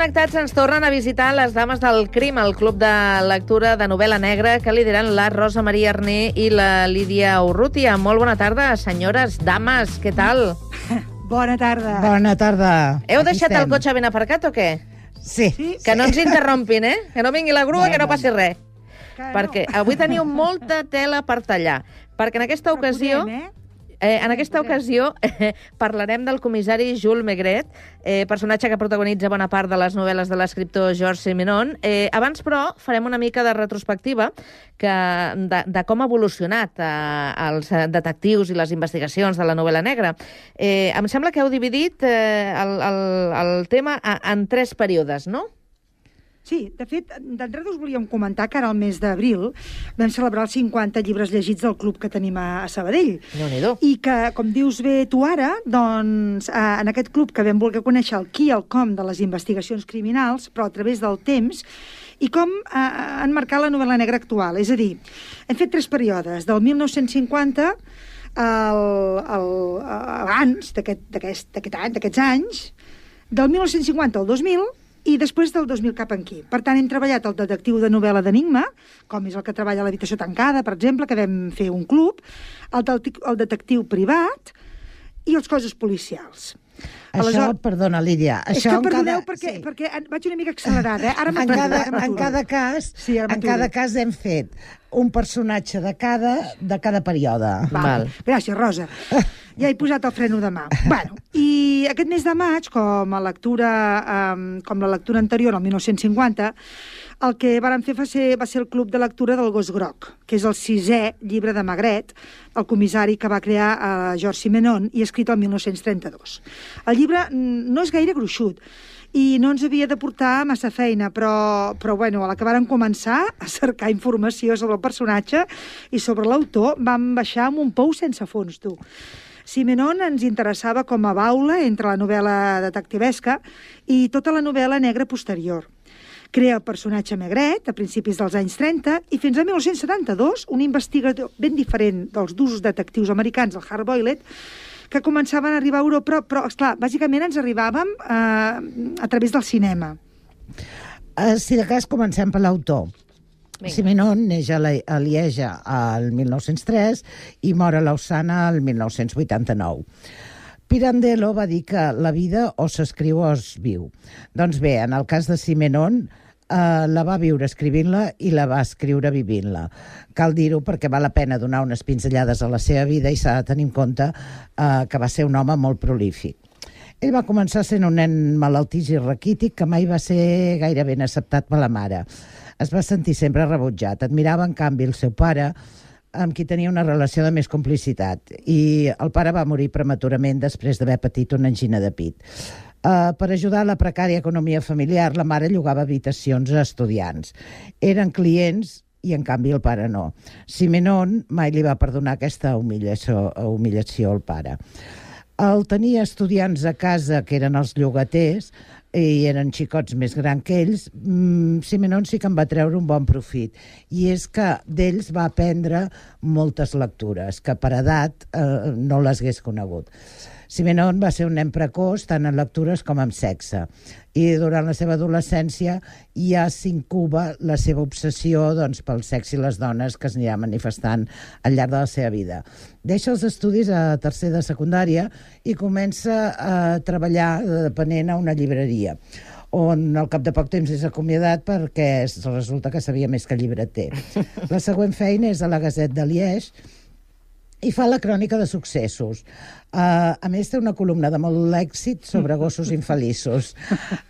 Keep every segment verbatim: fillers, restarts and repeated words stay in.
Connectats ens tornen a visitar les Dames del Crim, el club de lectura de novel·la negra que lideren la Rosa Maria Arné i la Lídia Urrutia. Molt bona tarda, senyores, dames, què tal? Bona tarda. Bona tarda. Heu Aquí deixat estem. el cotxe ben aparcat o què? Sí. Sí, Que no ens interrompin, eh? Que no vingui la grua, Bueno. que no passi res. que no. Perquè avui teniu molta tela per tallar. Perquè en aquesta Però ocasió... podem, eh? Eh, en aquesta podem. ocasió eh, parlarem del comissari Jules Maigret, eh, personatge que protagonitza bona part de les novel·les de l'escriptor Georges Simenon. Eh, abans, però, farem una mica de retrospectiva que, de, de com ha evolucionat eh, els detectius i les investigacions de la novel·la negra. Eh, em sembla que heu dividit eh, el, el, el tema a, en tres períodes, no? Sí, de fet, d'entrada us volíem comentar que ara al mes d'abril vam celebrar els cinquanta llibres llegits del club que tenim a, a Sabadell. Déu-n'hi-do. I que, com dius bé tu ara, doncs, eh, en aquest club que vam voler conèixer el qui i el com de les investigacions criminals, però a través del temps, i com eh, enmarcar la novel·la negra actual. És a dir, hem fet tres períodes, del mil nou-cents cinquanta al, al, abans d'aquest aquest, aquest any, d'aquests anys, del mil nou-cents cinquanta al dos mil, i després del dos mil cap aquí. Per tant, hem treballat el detectiu de novel·la d'enigma, com és el que treballa a l'habitació tancada, per exemple, que vam fer un club, el, el detectiu privat i els coses policials. Això, Aleshores, perdona, Lídia, és això que en perdoneu, cada... perquè, sí. perquè vaig una mica accelerada, eh? Ara En m'aturo, cada, ara en m'aturo. cada cas, Sí, ara en m'aturo. cada cas hem fet un personatge de cada, de cada període. Val. Val. Gràcies, Rosa. Ja he posat el freno de mà. Bueno, i aquest mes de maig, com a lectura, um, com la lectura anterior, el mil nou-cents cinquanta, el que vàrem fer va ser, va ser el Club de Lectura del Gos Groc, que és el sisè llibre de Maigret, el comissari que va crear uh, Georges Simenon i escrit el mil nou-cents trenta-dos. El llibre no és gaire gruixut, i no ens havia de portar massa feina, però, però bueno, a la que vàrem començar a cercar informació sobre el personatge i sobre l'autor, vam baixar amb un pou sense fons, tu. Simenon ens interessava com a baula entre la novel·la detectivesca i tota la novel·la negra posterior. Crea el personatge Maigret a principis dels anys trenta i fins a mil nou-cents setanta-dos un investigador ben diferent dels d'usos detectius americans, el Hard-Boiled, que començaven a arribar a Europa, però, però esclar, bàsicament ens arribàvem eh, a través del cinema. Uh, si de cas, comencem per l'autor. Vinga. Simenon neix a, la, a Lieja al mil nou-cents tres i mor a Lausana al mil nou-cents vuitanta-nou. Pirandello va dir que la vida o s'escriu o es viu. Doncs bé, en el cas de Simenon, eh, la va viure escrivint-la i la va escriure vivint-la. Cal dir-ho perquè val la pena donar unes pinzellades a la seva vida i s'ha de tenir en compte eh, que va ser un home molt prolífic. Ell va començar sent un nen malaltís i raquític que mai va ser gaire ben acceptat per la mare. Es va sentir sempre rebutjat. Admirava, en canvi, el seu pare, amb qui tenia una relació de més complicitat. I el pare va morir prematurament després d'haver patit una angina de pit. Uh, per ajudar a la precària economia familiar, la mare llogava habitacions a estudiants. Eren clients i, en canvi, el pare no. Simenon mai li va perdonar aquesta humillació, humillació al pare. El tenia estudiants a casa, que eren els llogaters, i eren xicots més grans que ells, mm, Simenon sí que en va treure un bon profit. I és que d'ells va aprendre moltes lectures, que per edat eh, no les hagués conegut. Simenon va ser un nen precoç, tant en lectures com en sexe. I durant la seva adolescència ja s'incuba la seva obsessió doncs, pel sexe i les dones que es anirà manifestant al llarg de la seva vida. Deixa els estudis a tercer de secundària i comença a treballar de depenent a una llibreria, on al cap de poc temps és acomiadat perquè resulta que sabia més que llibreter. La següent feina és a la Gazette de Liège, i fa la crònica de successos. Uh, a més, té una columna de molt èxit sobre gossos infeliços.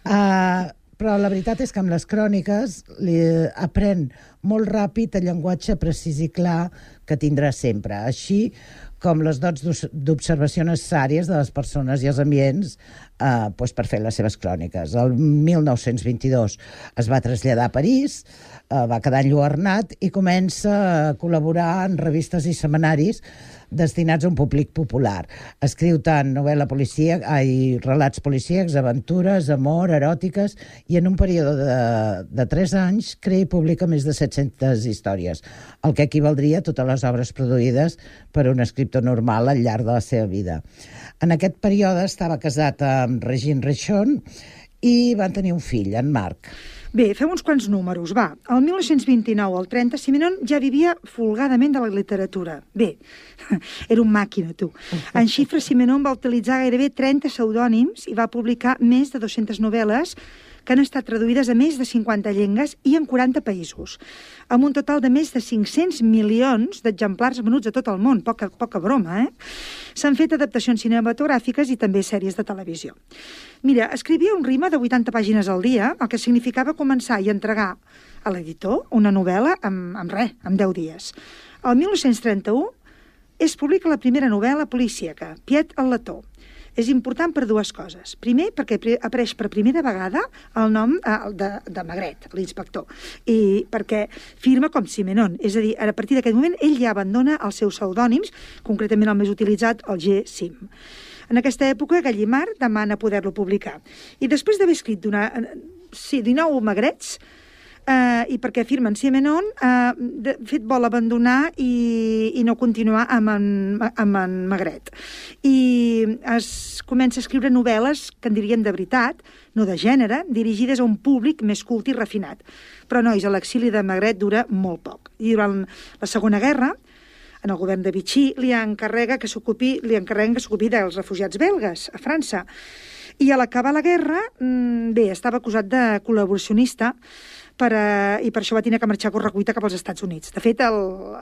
Uh, però la veritat és que amb les cròniques li aprèn molt ràpid el llenguatge precís i clar que tindrà sempre, així com les dots d'observació necessàries de les persones i els ambients eh, doncs per fer les seves cròniques. El mil nou-cents vint-i-dos es va traslladar a París, eh, va quedar enlluernat i comença a col·laborar en revistes i setmanaris destinats a un públic popular. Escriu tant novel·la policíaca, ai, relats policíacs, aventures, amor, eròtiques, i en un període de, de tres anys crea i publica més de set-centes històries, el que equivaldria a totes les obres produïdes per un escriptor normal al llarg de la seva vida. En aquest període estava casat amb Regine Rechon i van tenir un fill, en Marc. Bé, fem uns quants números, va. El mil nou-cents vint-i-nou al trenta, Simenon ja vivia folgadament de la literatura. Bé, era un màquina, tu. En xifres, Simenon va utilitzar gairebé trenta pseudònims i va publicar més de dues-centes novel·les que han estat traduïdes a més de cinquanta llengües i en quaranta països, amb un total de més de cinc-cents milions d'exemplars venuts a tot el món. Poca, poca broma, eh? S'han fet adaptacions cinematogràfiques i també sèries de televisió. Mira, escrivia un ritme de vuitanta pàgines al dia, el que significava començar i entregar a l'editor una novel·la amb, amb res, amb deu dies. El mil nou-cents trenta-u es publica la primera novel·la policíaca, Piet el letó. És important per dues coses. Primer, perquè apareix per primera vegada el nom eh, de, de Magret, l'inspector, i perquè firma com Simenon. És a dir, a partir d'aquest moment, ell ja abandona els seus pseudònims, concretament el més utilitzat, el G. Sim. En aquesta època, Gallimard demana poder-lo publicar. I després d'haver escrit d'una, sí, dinou Magrets, Uh, i perquè firmen Simenon, uh, de fet vol abandonar i, i no continuar amb en, amb en Magret. I es comença a escriure novel·les que en dirien de veritat, no de gènere, dirigides a un públic més cult i refinat. Però, nois, l'exili de Magret dura molt poc. I durant la Segona Guerra, en el govern de Vichy, li encarrega que s'ocupi, li encarreguen que s'ocupi dels refugiats belgues a França. I a l'acabar la guerra, bé, estava acusat de col·laboracionista, Per, uh, i per això va tenir que marxar a correcuita cap als Estats Units. De fet, el,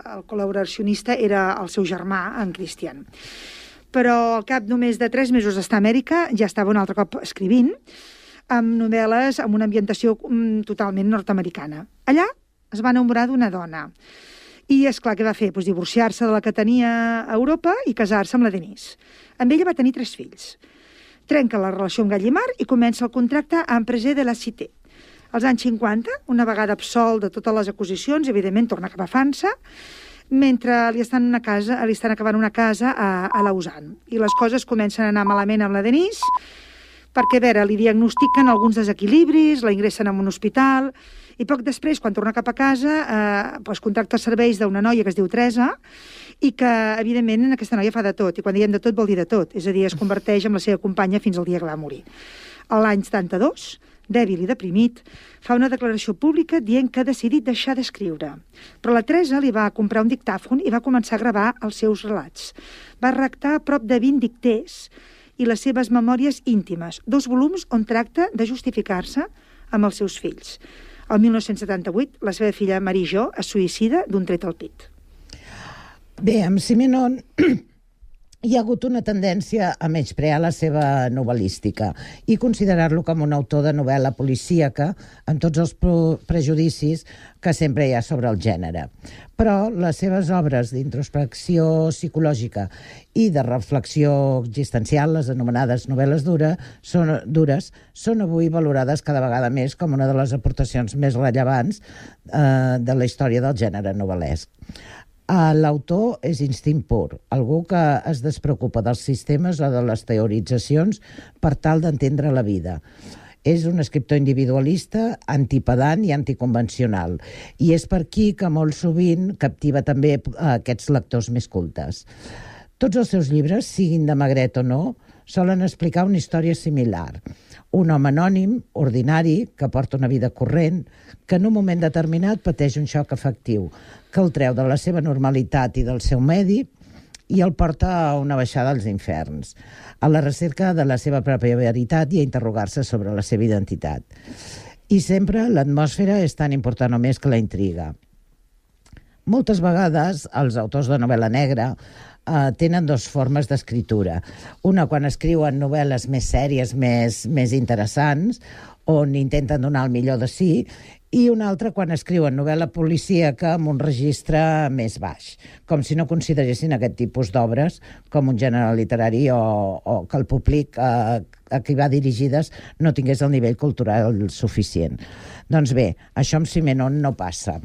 el col·laboracionista era el seu germà, en Christian. Però al cap només de tres mesos d'estar a Amèrica ja estava un altre cop escrivint, amb novel·les amb una ambientació um, totalment nord-americana. Allà es va enamorar d'una dona. I, esclar, què va fer? Pues divorciar-se de la que tenia a Europa i casar-se amb la Denise. Amb ella va tenir tres fills. Trenca la relació amb Gallimard i comença el contracte a Empresa de la Cité. Als anys cinquanta, una vegada absolt de totes les acusacions, evidentment torna cap a França, mentre li estan, una casa, li estan acabant una casa a, a Lausanne. I les coses comencen a anar malament amb la Denise, perquè, a veure, li diagnostiquen alguns desequilibris, la ingressen en un hospital, i poc després, quan torna cap a casa, eh, doncs contracta els serveis d'una noia que es diu Teresa, i que, evidentment, aquesta noia fa de tot, i quan diem de tot vol dir de tot, és a dir, es converteix en la seva companya fins al dia que va morir. A l'any setanta-dos, dèbil i deprimit, fa una declaració pública dient que ha decidit deixar d'escriure. Però la Teresa li va comprar un dictàfon i va començar a gravar els seus relats. Va redactar prop de vint dicters i les seves memòries íntimes, dos volums on tracta de justificar-se amb els seus fills. El mil nou-cents setanta-vuit, la seva filla Marie Jo es suïcida d'un tret al pit. Bé, amb Simenon hi ha hagut una tendència a menysprear la seva novel·lística i considerar-lo com un autor de novel·la policíaca amb tots els prejudicis que sempre hi ha sobre el gènere. Però les seves obres d'introspecció psicològica i de reflexió existencial, les anomenades novel·les dura, són, dures, són avui valorades cada vegada més com una de les aportacions més rellevants eh, de la història del gènere novel·lesc. L'autor és instint pur, algú que es despreocupa dels sistemes o de les teoritzacions per tal d'entendre la vida. És un escriptor individualista, antipedant i anticonvencional, i és per aquí que molt sovint captiva també a aquests lectors més cultes. Tots els seus llibres, siguin de Magret o no, solen explicar una història similar. Un home anònim, ordinari, que porta una vida corrent, que en un moment determinat pateix un xoc afectiu, que el treu de la seva normalitat i del seu medi i el porta a una baixada als inferns, a la recerca de la seva pròpia veritat i a interrogar-se sobre la seva identitat. I sempre l'atmosfera és tan important o més que la intriga. Moltes vegades els autors de novel·la negra Uh, tenen dues formes d'escriptura. Una quan escriuen novel·les més sèries, més, més interessants, on intenten donar el millor de si, i una altra quan escriuen novel·la policíaca amb un registre més baix, com si no consideressin aquest tipus d'obres com un gènere literari o, o que el públic uh, a qui va dirigides no tingués el nivell cultural suficient. Doncs bé, això amb Simenon no passa.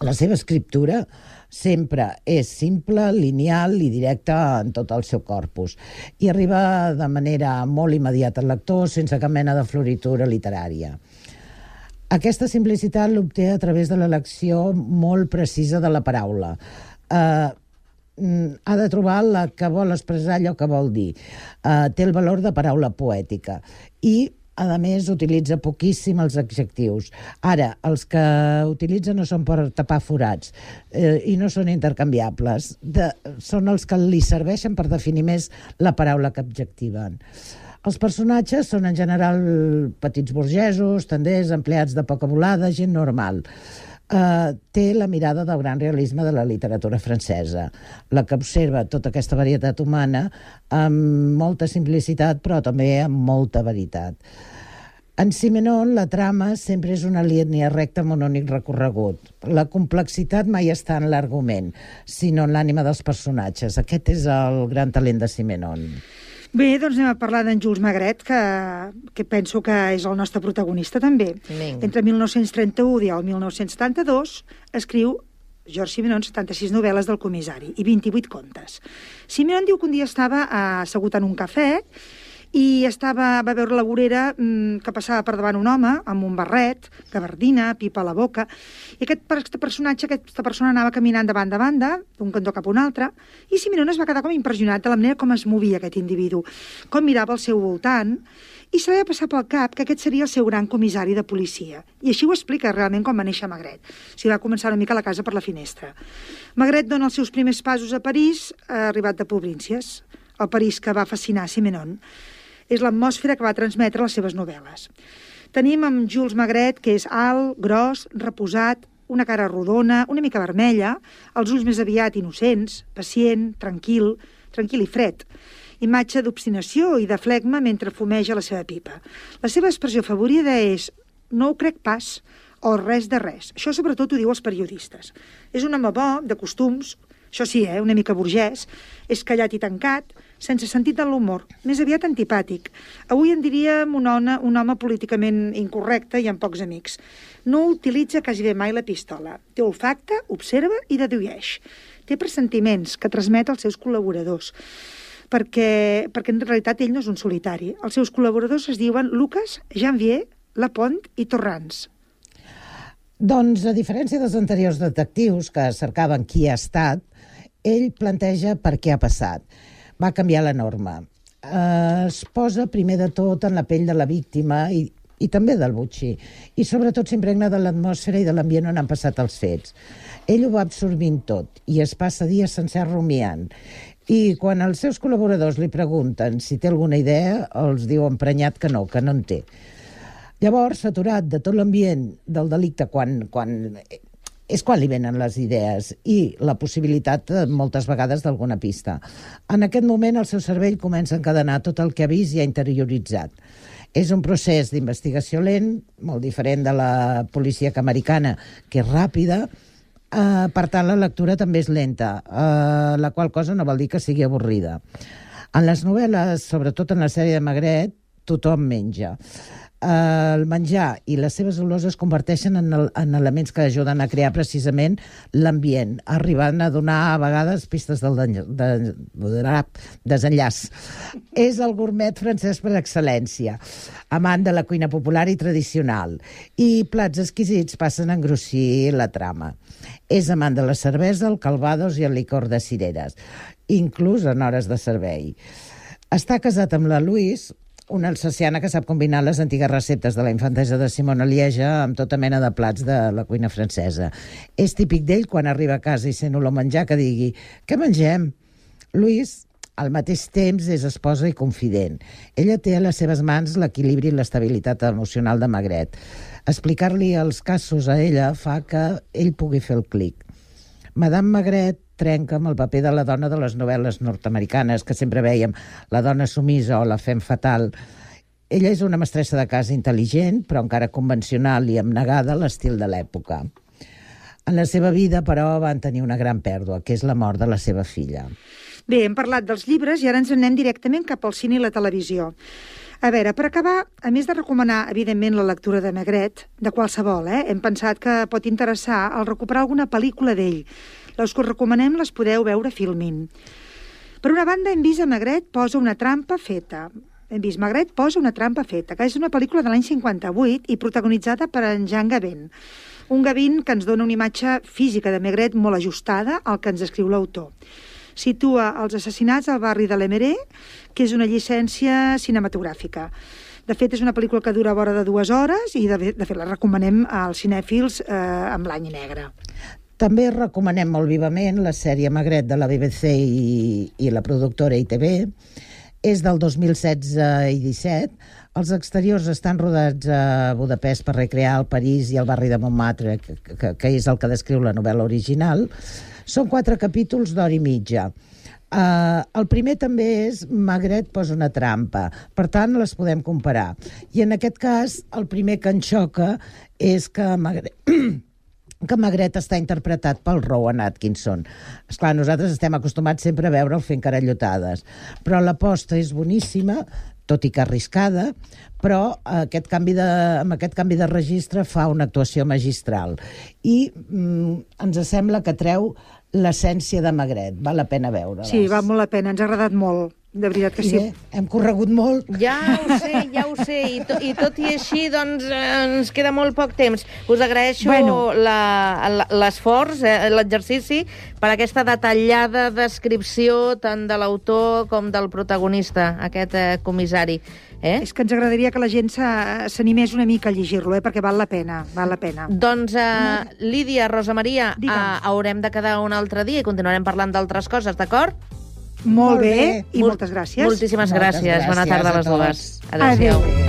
La seva escriptura sempre és simple, lineal i directa en tot el seu corpus i arriba de manera molt immediata al lector sense cap mena de floritura literària. Aquesta simplicitat l'obté a través de l'elecció molt precisa de la paraula. Eh, ha de trobar la que vol expressar allò que vol dir. Eh, té el valor de paraula poètica i a més, utilitza poquíssim els adjectius. Ara, els que utilitza no són per tapar forats eh, i no són intercanviables. De, són els que li serveixen per definir més la paraula que adjectiven. Els personatges són en general petits burgesos, tenders, empleats de poca volada, gent normal. Uh, té la mirada del gran realisme de la literatura francesa, la que observa tota aquesta varietat humana amb molta simplicitat, però també amb molta veritat. En Simenon, la trama sempre és una línia recta amb un únic recorregut. La complexitat mai està en l'argument, sinó en l'ànima dels personatges. Aquest és el gran talent de Simenon. Bé, doncs anem a parlar d'en Jules Maigret, que, que penso que és el nostre protagonista també. Vinga. Entre mil nou-cents trenta-u i el mil nou-cents setanta-dos escriu Georges Simenon setanta-sis novel·les del comissari i vint-i-vuit contes. Simenon diu que un dia estava assegut en un cafè i estava, va veure la vorera mmm, que passava per davant un home amb un barret, gabardina, pipa a la boca, i aquest, aquest personatge, aquesta persona anava caminant de banda a banda, d'un cantó cap a un altre, i Simenon es va quedar com impressionat de la manera com es movia aquest individu, com mirava al seu voltant, i se li va passar pel cap que aquest seria el seu gran comissari de policia. I així ho explica realment com va néixer Maigret. S'hi va començar una mica a la casa per la finestra. Maigret dona els seus primers passos a París, ha arribat de províncies, el París que va fascinar Simenon. És l'atmosfera que va transmetre les seves novel·les. Tenim amb Jules Maigret, que és alt, gros, reposat, una cara rodona, una mica vermella, els ulls més aviat innocents, pacient, tranquil, tranquil i fred. Imatge d'obstinació i de flegma mentre fumeja la seva pipa. La seva expressió favorita és «no ho crec pas» o «res de res». Això sobretot ho diu els periodistes. És un home bo, de costums, això sí, eh, una mica burgès, és callat i tancat, sense sentit de l'humor, més aviat antipàtic. Avui en diríem un home, un home políticament incorrecte i amb pocs amics. No utilitza quasi bé mai la pistola. Té olfacte, observa i dedueix. Té pressentiments que transmet als seus col·laboradors, perquè, perquè en realitat ell no és un solitari. Els seus col·laboradors es diuen Lucas, Janvier, Lapont i Torrans. Doncs, a diferència dels anteriors detectius que cercaven qui ha estat, ell planteja per què ha passat. Va canviar la norma. Eh, es posa primer de tot en la pell de la víctima i, i també del botxí. I sobretot s'impregna de l'atmosfera i de l'ambient on han passat els fets. Ell ho va absorbint tot i es passa dies sencer rumiant. I quan els seus col·laboradors li pregunten si té alguna idea, els diu emprenyat que no, que no en té. Llavors, saturat de tot l'ambient del delicte, quan, quan, és quan li venen les idees i la possibilitat, moltes vegades, d'alguna pista. En aquest moment, el seu cervell comença a encadenar tot el que ha vist i ha interioritzat. És un procés d'investigació lent, molt diferent de la policíaca americana, que és ràpida, eh, per tant, la lectura també és lenta, eh, la qual cosa no vol dir que sigui avorrida. En les novel·les, sobretot en la sèrie de Maigret, tothom menja. El menjar i les seves olors es converteixen en, el, en elements que ajuden a crear precisament l'ambient, arribant a donar a vegades pistes del de, de, de, desenllaç. És el gourmet francès per excel·lència, amant de la cuina popular i tradicional, i plats exquisits passen a engrossir la trama. És amant de la cervesa, el calvados i el licor de cireres, inclús en hores de servei. Està casat amb la Louise, una alsaciana que sap combinar les antigues receptes de la infantesa de Simona Lieja amb tota mena de plats de la cuina francesa. És típic d'ell, quan arriba a casa i sent olor menjar, que digui «Què mengem?» Louise, al mateix temps, és esposa i confident. Ella té a les seves mans l'equilibri i l'estabilitat emocional de Maigret. Explicar-li els casos a ella fa que ell pugui fer el clic. Madame Maigret trenca amb el paper de la dona de les novel·les nord-americanes, que sempre veiem la dona sumisa o la femme fatal. Ella és una mestressa de casa intel·ligent, però encara convencional i abnegada a l'estil de l'època. En la seva vida, però, van tenir una gran pèrdua, que és la mort de la seva filla. Bé, hem parlat dels llibres i ara ens anem directament cap al cine i la televisió. A veure, per acabar, a més de recomanar, evidentment, la lectura de Maigret, de qualsevol, eh, hem pensat que pot interessar el recuperar alguna pel·lícula d'ell. Les que us recomanem les podeu veure Filmin. Per una banda, hem vist a Maigret posa una trampa feta. Hem vist Maigret posa una trampa feta, que és una pel·lícula de l'any cinquanta-vuit i protagonitzada per en Jean Gabin. Un Gabin que ens dona una imatge física de Maigret molt ajustada al que ens escriu l'autor. Situa els assassinats al barri de l'Emeré, que és una llicència cinematogràfica. De fet, és una pel·lícula que dura vora de dues hores i, de, de fet, la recomanem als cinèfils eh, amb l'any negre. També recomanem molt vivament la sèrie Magret de la B B C i, i la productora I T V. És del dos mil setze i disset. Els exteriors estan rodats a Budapest per recrear el París i el barri de Montmartre, que, que, que és el que descriu la novel·la original. Són quatre capítols d'hora i mitja. Uh, el primer també és Magret posa una trampa, per tant les podem comparar. I en aquest cas el primer que ens xoca és que Magret... que Magret està interpretat pel Rowan Atkinson. Esclar, nosaltres estem acostumats sempre a veure'l fent carallotades, però l'aposta és boníssima, tot i que arriscada, però aquest canvi de, amb aquest canvi de registre fa una actuació magistral. I mm, ens sembla que treu l'essència de Magret. Val la pena veure-la. Sí, val molt la pena. Ens ha agradat molt. De veritat que sí. I bé, hem corregut molt. Ja ho sé, ja ho sé. I, to, i tot i així, doncs, eh, ens queda molt poc temps. Us agraeixo bueno. l'esforç, eh, l'exercici, per aquesta detallada descripció tant de l'autor com del protagonista, aquest eh, comissari. Eh? És que ens agradaria que la gent s'animés una mica a llegir-lo, eh? Perquè val la pena, val la pena. Doncs, eh, Lídia, Rosa Maria, eh, haurem de quedar un altre dia i continuarem parlant d'altres coses, d'acord? Molt bé, i moltes gràcies. Moltíssimes gràcies. Bona tarda a les dues. Adéu.